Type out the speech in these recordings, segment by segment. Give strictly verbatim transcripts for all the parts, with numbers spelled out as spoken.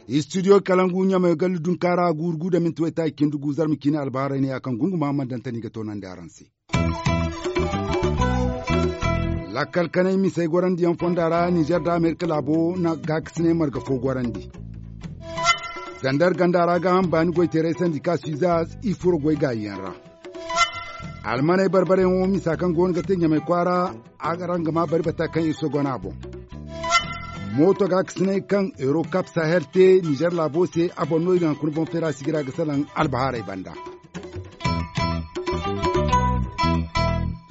Istidiyo kalangu ɲamay gallu dunkaara guuru gu da minti waytaaci cindi gu zarma ciine albaharay ne ya kaŋ gunguma mana daŋ tani ga toonandi araŋ se. Lakkal kanay misey gorandiyaŋ fonda ra nizer nda amerika laabo na gaakasinay marga fo gorandi. Zandar ganda ra ga haŋ baani goyteeray sandi ka suizaz i furo goy gaayiyaŋ ra. Almaney barbareyaŋo misa kaŋ go no ga te ɲamay kwaara. Araŋ ga maa bari bata kaŋ iri sogo no a boŋ. Mooto gaakasinay kaŋ euro kap sahel te nizer laabo se a boŋ no iri na hunkuna boŋ feera sigira ga salaŋ albahaarey banda.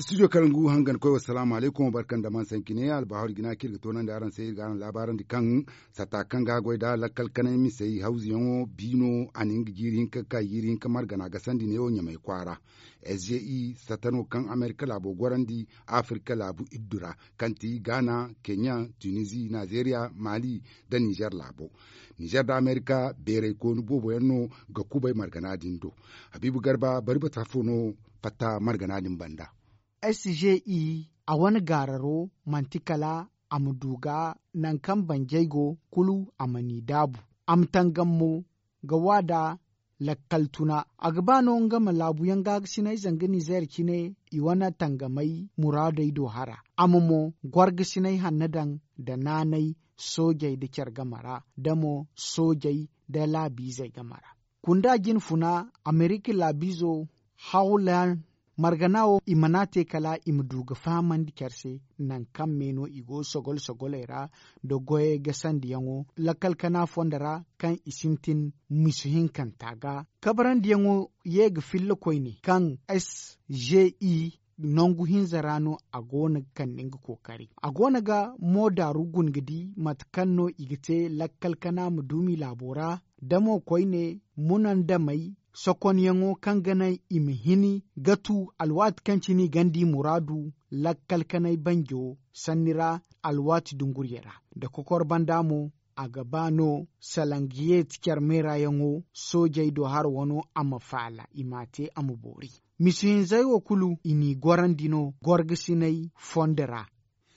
Studio kalangu hangan koy wassalaamu alaykum barka nda man sanki ne albahaari jina kaŋ iri ga toonandi araŋ se iri ga araŋ laabaarandi kaŋ satta kaŋ ga a goy nd'a lakkal kanay misey hawzuyaŋo biino a na nga jiiri hinka ga ka jiiri hinka margana gasandi neewo ɲamay kwaara. S G I satta no kaŋ amerika laabo gorandi afirika laabu iddu ra kaŋ ti gaana keɲa tunizi nazeeriya maali nda nizer laabo. Nizer nda amerika beeray koonu boobo yaŋ no ga kubay margana din do. Habiibu garba bari bata fo no fatta margana din banda. S G I a wane gaararo manti kala a ma du ga nangu kaŋ banjey go kulu a ma n'i daabu. A ma tangam mo ga wa nda lakkal tuna. A ga ba no nga ma laabuyaŋ gaagasinay zanga nizer cine i wane tangamay muraadey do hara a ma mo gorgasinay hanno daŋ nda naanay soojey nda care game ra nda mo soojey nda laabiizey game ra. Kunda jinfuna amerika laabiizo hawlan margana wo i mana te kala i ma du ga fahamandi care se nangu kaŋ me no i go sogol sogoley ra nda goyey gasandiyaŋo lakkal kana fondo ra kaŋ i sintin misu hinkanta ga kabarandiyaŋo ye ga filla koyne kaŋ s g i nangu hinza ra no a go no ga kande nga kookari a go no ga moodaaru guna ga di mate kaŋ no i ga te lakkal kana ma duumi laabo ra da mo koyne munandamey sokonyaŋo kaŋ ga naŋ i ma hini ga tu alwaati kaŋ cine i gonda i muraadu lakkal kanay banjo sanni ra alwaati dungurye ra nda kokor banda mo a ga ba no salangiyeeti care meerayaŋo soojey do hara wano a ma faala i m'a te a ma boori misi hinzey wo kulu i n'i gorandi no gorgasinay fondo ra.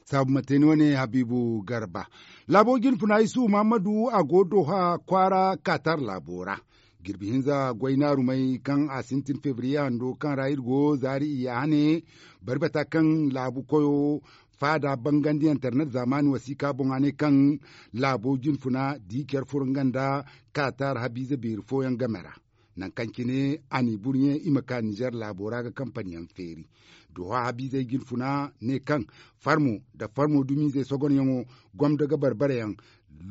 Saabu ma te ni wane habiibu garba laabo jinfuna isuhu mahammadu a go doha kwaara kaatar laabo ra jirbi hinza goy naarumey kaŋ a sintin febriye hando kaŋ ra iri go zaari iyya hane bari bata kaŋ laabu koyo faada bangandi internet zaamaani wasiika boŋ a ne kaŋ laabo jinfuna di care furo nga nda kaatar habiize beeri fooyaŋ game ra nangu kaŋ cine a n'i burɲe i ma ka nizer laabo ra ga kampaniyaŋ feeri doha habiizey jinfuna ne kaŋ farmo nda farmo dumiizey sogonyaŋo gomdo ga barbarayaŋ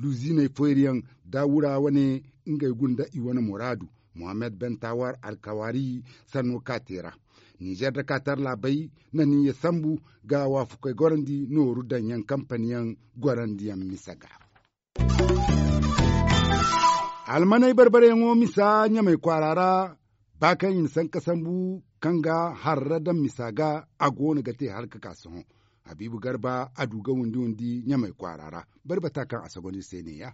luziiney feeriyaŋ da wura wane ngey gunda i wane muraadu mohammed ben tawar alkawaari sanno ka te ra nizer nda kaatar laabey na niya sambu ga waafakey gorandi nooru daŋyaŋ kampaniyaŋ gorandiyaŋ misa ga almaney barbareyaŋo misa ɲamey kwaara ra ba kaŋ i na sanka sambu kaŋ ga harra daŋ misa ga a go no ga te hala ga ka sohõ habiibu garba a du ga windi windi ɲamey kwaara ra bari bata kaŋ a sogonda iri se ne-ya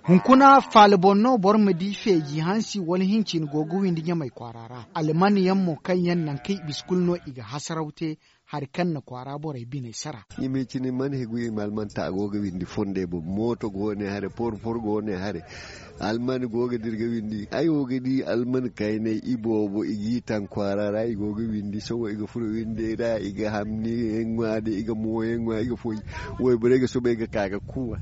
hunkuna faala boŋ no boro ma di feeji hansi wala hincin go ga windi ɲamey kwaara ra alman yaŋ mo kaŋ yaŋ nangu kaŋ i bisa kulu no i ga hasaraw te hari kaŋ na kwaara borey biney sara. I ma cine man hegu i ma alman ta a go ga windi fondey boŋ mooto go ne hare porpor go ne hare alman go ga dira ga windi ay wo ga di alman kaynay i boobo i g'i taŋ kwaara ra i go ga windi sohõ i ga furo windey ra i ga hamni yaŋ ŋwa da i ga mooyaŋ ŋwa i ga fooy wayborey ga soobay ga ka ga kuuwa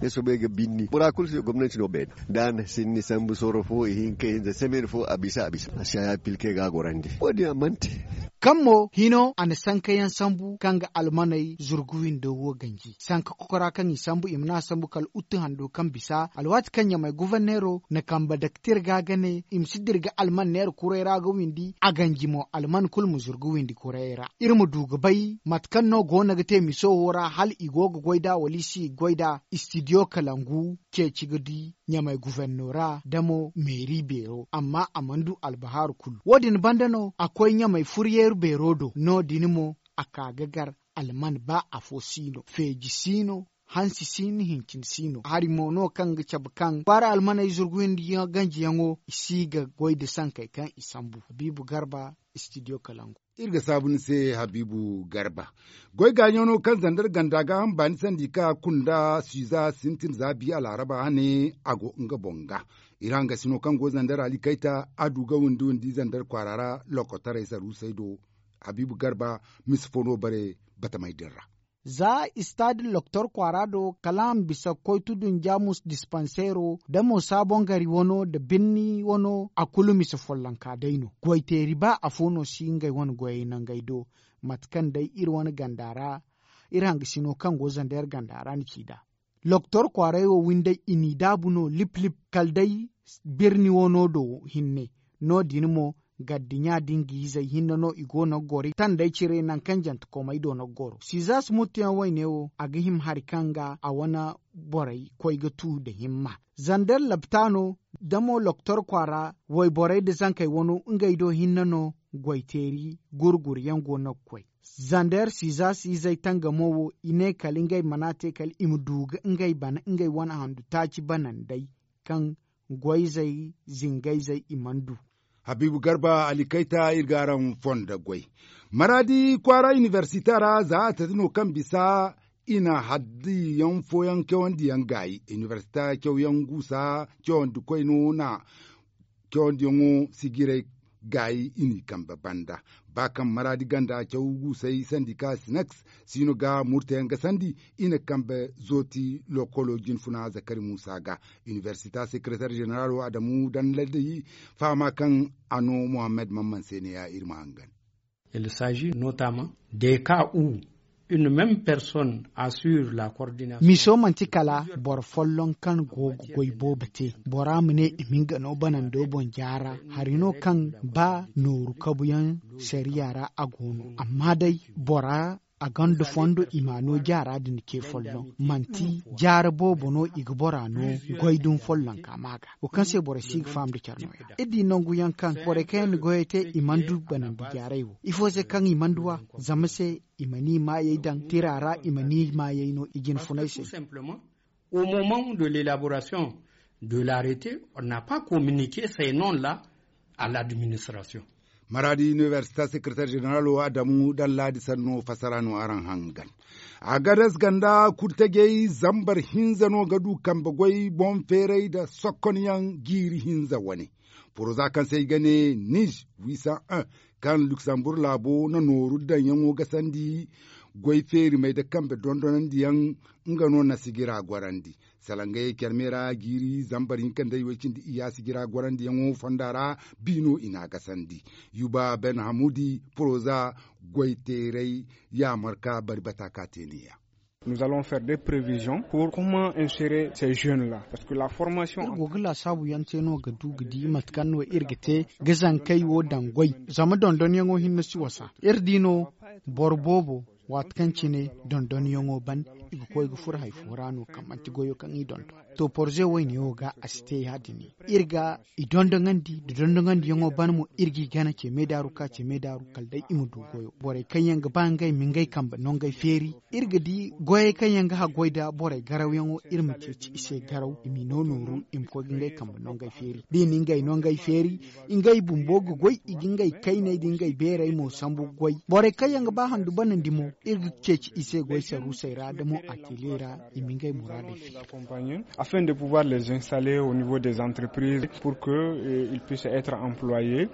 ga soobay ga binni bora kulu se gomnanti no beene da a na sinni sambu soro fo ihinka hinza semaine fo a bisa a bisa a si haya pilke ga a gorandi wo- din a mana te. Kaŋ mo hino a na sankayaŋ sambu kaŋ ga almaney zurgu windo wo ganji sanka kokora kaŋ i sambu i ma ne a sambu kala uttu hando kaŋ bisa alwaati kaŋ ɲamey guverneero na kambe daktir ga ga ne i ma si dira ga alman neera kuray ra ga windi a ganji mo alman kulu ma zurgu windi kuray ra iri ma du ga bay mate kaŋ no go no ga te miso wo ra hala i go ga goy nd'a wala i si goy nd'a istidiyo kalangu ceeci ga di ɲamey guverno ra da mo meeri beero amma a mana du albahaaru kulu wo- din banda no a koy ɲamey furyeeru beero do no- din mo a ka ga gar alman ba afo si no feeji si no. hansi si no hincin si no hari mo no kaŋ ga cabe kaŋ kwaara almaney zurgu hinda ganjiyaŋo i si ga goy nda sankey kaŋ i sambu habiibu garba. Istidiyo kalangu. Iri ga saabu ni se habiibu garba. Goy gaaɲo no kaŋ zandar ganda ga hamba ni sandi ka kunda suiza sintin za bi alaaraba hane a go nga boŋ ga. Iri hangasino kaŋ go zandar ali kayta a du ga windi windi zandar kwaara ra lokotaray saruusey do. Habiibu garba misi fo no bare batamey din ra. Za istaadi loktor kwaara do kala a ma bisa koytu dunjaamus dispanseero nda mo saabongari wano nda birni wano a kulu mise follonka day no goyteeri ba afo no si ngey wane goyey nangey do. Mate kaŋ day iri wane ganda ra iri hangasino kaŋ go zandeer ganda ra na ci nd'a. Loktor kwaaray wo windey i n'i daabu no lip lip kala day birni wano do hinne. No- din mo gaddiɲa da nga izey hinne no i go no ga goro i tandey cire nangu kaŋ jantekomey do no ga goro sizaas muttuyaŋ wayne wo a ga hima hari kaŋ ga a wane borey koy ga tu nda himma. Zander laptaano da mo loktor kwaara wayborey nda zankey wano ngey do hinne no goyteeri gurguryaŋ go no ga koy. Zander sizaas izey tangamo wo i ne kala ngey mana te kala i ma du ga ngey bana ngey wane handu taaci banandey kaŋ goyzey zingayzey i mana du. Habiibu garba alikayta iri ga araŋ fondo goy maraadi kwaara inibersite ra za a tati no kaŋ bisa i na haddiyaŋ fooyaŋ cawandi yaŋ gaayi inibersite cawyaŋ guusa cawandi koy no na cawandiyaŋo sijirey gaayi i n'i kambe banda. Ba kaŋ maraadi ganda caw guusey sandi ka sinaks siino ga murtayaŋ ga sandi i na kambe zooti lokolo jinfuna zakari muusa ga. Inibersita sekeretar zeneraalo adamu danda day fahama kaŋ a no muhammad mamman se ne ya iri ma hangan. Il s'agit notamment des cas où une même personne assure la coordination. Miso manti kala boro folloŋ kaŋ go ga goy boobo te bora ma ne i ma nga no banando boŋ jaara hari no kaŋ ba nooru kabuyaŋ sariya ra a go no amma day bora a gonda fondo i ma no jaara din ce folloŋ manti jaara boobo no i ga bora no goy dumi follonka ma ga wo kaŋ se borey si ga faham nda care nooya iri di nangu yaŋ kaŋ borey kaŋ yaŋ na goyey te i mana du banandi jaaray wo ifo se kaŋ i mana du a zama se i ma ni maayey daŋ tira ra i ma ni maayey no i jinfunay se. Au moment de l'élaboration de l'arrêté on n'a pas communiqué ces noms là à l'administration. Maraadi inibersita sekeretar zeneraalo adamu daŋ laadi sanno fasara no araŋ hangan. Agades ganda kurtajey zambar hinza no ga du kambe goy boŋ feeray nda sokkonyaŋ jiiri hinza wane. Poroza kaŋ se i ga ne nij wisan un kaŋ luksamburg laabo na nooru daŋyaŋo ga sandi goy feerimey nda kambe dondonandiyaŋ nga no na sijira gorandi. Salangayey care me ra jiiri zambar hinka nda i way cindi iyya sijira gorandiyaŋo fonda ra. Biino i n'a gasandi yuba ben hamuudi poroza goyteeray yaamar ka bari bata ka te ne- ya. Nous allons faire des prévisions pour comment insérer ces jeunes là parce que la formation. Iri go ga laasaabu yaŋ te no ga du ga di mate kaŋ no iri ga te ga zankey wo daŋ goy zama dondonyaŋo hinne si wasa iri di no boro boobo waati kaŋ cine dondonyaŋo ban i ga koy ga furo hari fo ra no kaŋ manti goyo kaŋ i dondon. To porze wayne wo ga a si te ya- din iri ga i dondoŋandi nda dondoŋandiyaŋo ban mo iri g'i gana ce meedaaru ka ce meedaaru kala day i ma du goyo borey kaŋ yaŋ ga ba ngey ma ngey kambe nongey feeri. Iri ga di goyey kaŋ yaŋ ga haggoy nda borey garawyaŋo iri ma ceeci i se garaw i m'i no nooru i ma koy ga ngey kambe nongey feeri da i na ngey nongey feeri ngey bumbo ga goy i ga ngey kayney nda ngey beerey mo sambu ga goy borey kaŋ yaŋ ga ba handu banandi mo iri ga ceeci i se goy saruusey ra nda mo ateliye ra i ma ngey muraadey feeri. Afin de pouvoir les installer au niveau des entreprises pour que ils puissent être employés.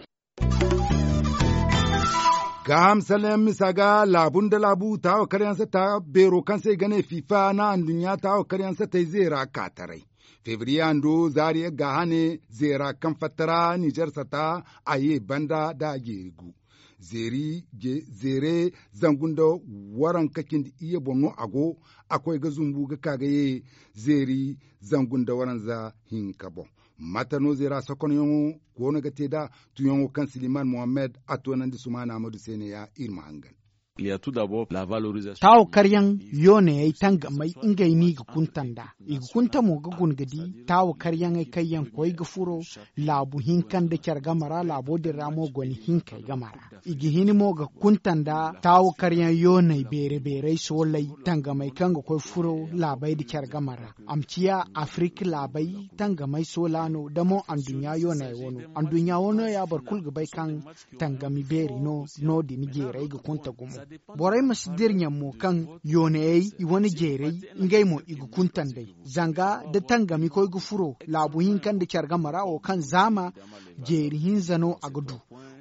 Gaaham sallah yaŋ misa ga laabu nda laabu taawa karyaŋ satta beero kaŋ se i ga ne fifa na anduɲɲa taawa karyaŋ sattey zeera ka taray. Febriye hando zaari ga hane zeera kaŋ fatta ra nizer satta a ye banda nda a jeeri gu. Zeeri zeere zangu nda waranka cindi iyye boŋ no a go. A koy ga zumbu ga ka ga ye zeeri zangu nda waranza hinka boŋ. Mate no zeera sokonyaŋo go no ga te nd'a? Tuyaŋo kaŋ siliman mohammed a toonandi sumaana amadu se ne- ya iri ma hangan. Taawa karyaŋ yoonayey tangamey ngey no i ga kunta nd'a. I ga kunta mo ga guna ga di taawa karyaŋey kaŋ yaŋ koy ga furo laabu hinka nda care game ra, laabo din ra mo goni hinkey game ra. I ga hin mo ga kunta nda taawa karyaŋ yoonay beere beerey sooley tangamey kaŋ ga koy furo laabey nda care game ra. A ma ciya afirik laabey tangamey soola no da mo anduɲɲa yoonay wano. Anduɲɲa wano ya boro kulu ga bay kaŋ tangami beeri no. No- din jeerey ga kunta gumo. Borey ma si dira ɲaŋ mo kaŋ yoonayey i wane jeerey ngey mo i ga kunta nd'ey. Zanga da tangami koy ga furo laabu hinka nda care game ra wo kaŋ zaama jeeri hinza no a ga du.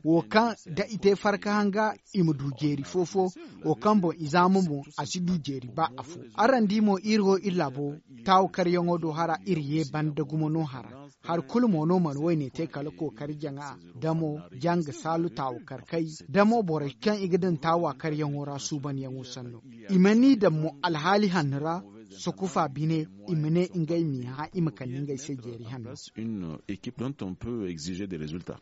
Wo kaŋ da i te farka hanga i ma du jeeri fo-fo. Wo kaŋ boŋ i zaama mo a si du jeeri ba afo. Araŋ di mo iri wo iri laabo taawa karyaŋo do hara iri ye banda gumo no hara. Hari kulu mo no mana wayne te kala kookari jaŋa da mo janga saalu taawa karkey da mo borey kaŋ i ga daŋ taawa karyaŋo ra suubanyaŋo sanno. I mana i daŋ mo alhaali hanno ra. Sokofa bine i ma ne ngey m'i hã i ma kande ngey se jeeri hanno. Une équipe dont on peut exiger des résultats.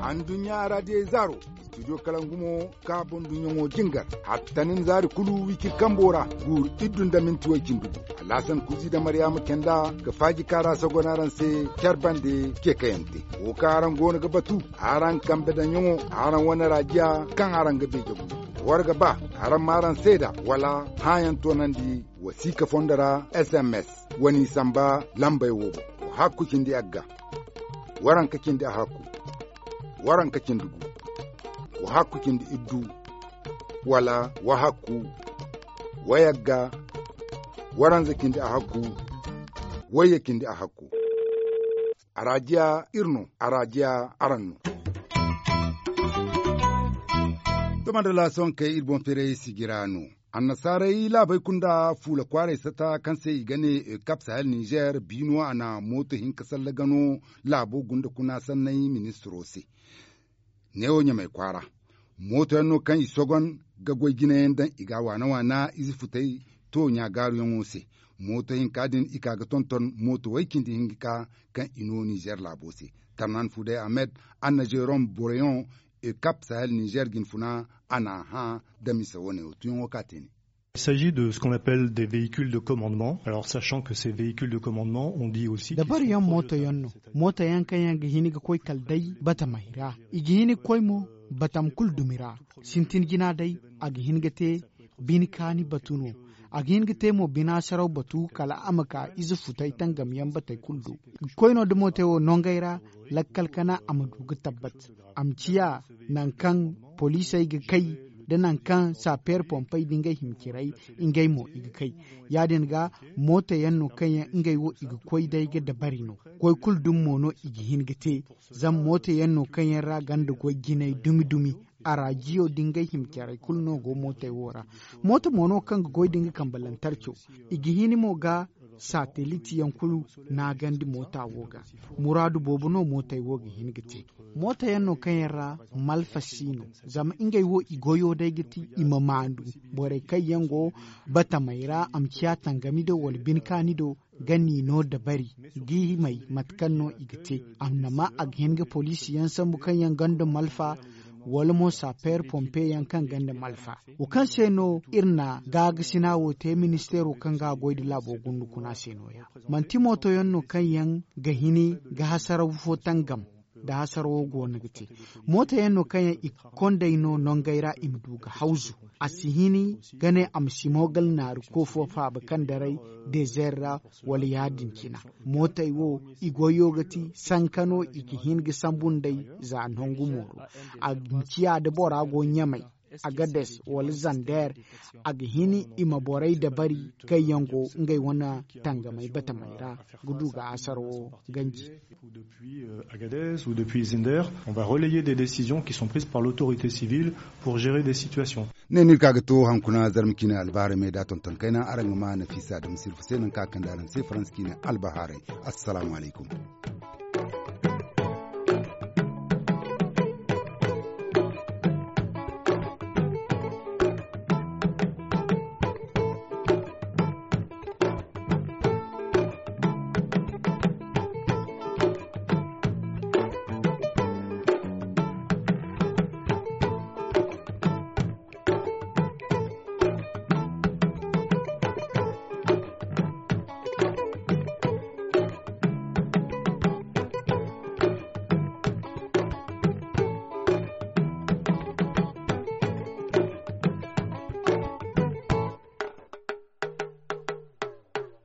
Anduɲɲa ra diyey zaaro. Studio kalangu mo ka boŋ dunɲaŋo jingar. Hattanin zaari kulu wiciri kambo ra guuru iddu nda minti way-cindi gu. Alhasan kuuzi nda maryaama kenda ga faaji kaara sogon araŋ se care bande. Ceekayante wo kaŋ araŋ goono ga batu araŋ kambe daŋyaŋo araŋ wane raajiya kaŋ araŋ ga beeje gu. War ga ba araŋ ma araŋ seeda wala hãayaŋ toonandi wasiika fondo ra sms. Wa n'i samba lambey wo boŋ. Wa hakku cindi agga. Waranka cindi a hakku. Waranka cindi gu. Wa hakku cindi iddu. Wala wa hakku. Wayagga. Waranza cindi a hakku. Wayya cindi a hakku. Araajiya iri no. Araajiya araŋ no. Tomandala sonkey iri boŋ feeray sijira no. Annasaaray laabey kunda fuula kwaaray sata kaŋ se i ga ne ekap sahel nizer biino a na mooto hinka salla gano. Laabo gunda kuna sanney ministiro se. Neewo ɲamay kwaara mooto yaŋ no kaŋ i sogon ga goy jinayaŋ daŋ i ga a waana waana ize futay to ɲaagaaruyaŋo se. Mooto hinka din i ka ga tonton mooto way cindi hinka kaŋ i no nizer laabo se. Tarnan fuday ahmed anna jerom boreyon ekap sahel nizer jinfuna a n'a hã. Da mise wane wo tuyaŋo ka te ne. Il s'agit de ce qu'on appelle des véhicules de commandement alors sachant que ces véhicules de commandement on dit aussi dabari yaŋ mooto yaŋ no. Mooto yaŋ kaŋ yaŋ ga hin ga koy kala day batamey ra. I ga hin ga koy mo batam kulu dumi ra. Sintin jina day a ga hin ga te bine kaani batu no. A ga hin ga te mo bina saraw batu kala a ma ka ize futay tangam yaŋ batey kulu do. Ga koy no da mootey wo nongey ra lakkal kana a ma du ga tabbat. A ma ciya nangu kaŋ poliisey ga kay da nangu kaŋ saapeer pompey da ngey hima ciray. Ngey mo i ga kay ya- din ga mooto yaŋ no kaŋ yaŋ ngey wo i ga koy day ga dabari no. Koy kulu dumi mo no i ga hin ga te. Zama mooto yaŋ no kaŋ yaŋ ra ganda goy jinay dumi dumi. Arajiyo da ngey hima carey kulu no go mootey wo ra. Mooto mo no kaŋ ga goy da nga kambe lantarco. I ga hin mo ga saatelit yaŋ kulu naagandi moota wo ga. Muraadu boobo no mootey wo ga hin ga te. Moota yaŋ no kaŋ yaŋ ra malfa si no. Zama ngey wo i goyo day ga ti i ma maandu. Borey kaŋ yaŋ go batamey ra a ma ciya tangami do wala bine kaani do ga n'i no dabari ga i may mate kaŋ no i ga te. Amma a ga hin ga poliisi yaŋ sambu kaŋ yaŋ gonda malfa wala mo saapeer pompe yaŋ kaŋ gonda malfa. Wo kaŋ se no iri na gaagasina wo te ministeero kaŋ ga a goy nda laabo gundu kuna se no- ya manti mooto yaŋ no kaŋ yaŋ ga hini ga hasaraw fo tangam. Da hasarawo go no ga te mooto yaŋ no kaŋ yaŋ i kondey no nongey ra i ma du ga hawzu. A si hini ga ne a ma si mo gal naari koofo faaba kaŋ daray dezer ra wala ya- din cina. Mootey wo i goyo ga ti sanka no i ga hin ga sambu nd'ey. Za nangu mooro a ga hin ciya da bora go ɲamey agades wala zander. A ga hin i ma borey dabari kaŋ yaŋ go ngey wane tangamey batamey ra ga du ga hasarawo ganji. Agadez ou depuis zinder on va relayer des décisions qui sont prises par l'autorité civile pour gérer des situations. Ne no iri ka ga to hankuna zarma ciine albahaarey me da tonton kayna araŋ ga ma nafiisa da ma sirfu se nangu kaŋ a kande araŋ se faransa ciine albahaarey. Assalaamu alaykum.